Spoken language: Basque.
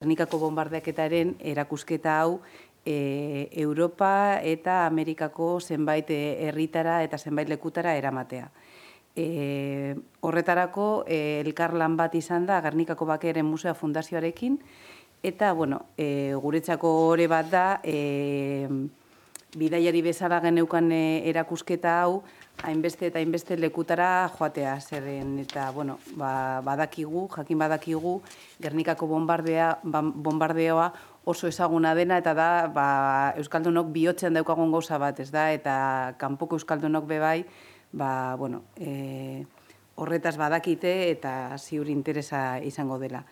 Gernikako bonbardeaketaren erakusketa hau Europa eta Amerikako zenbait herritara eta zenbait lekutara eramatea. Horretarako elkarlan bat izan da Gernikako Bakearen Musea Fundazioarekin, eta guretzako ore bat da bidaiari bezala geneukan erakusketa hau hainbeste eta hainbeste lekutara joatea, zeren eta jakin badakigu Gernikako bonbardeoa oso ezaguna dena, eta da euskaldunok bihotzean daukagun gauza bat, ez da, eta kanpoko euskaldunok bebai, horretaz badakite eta ziur interesa izango dela.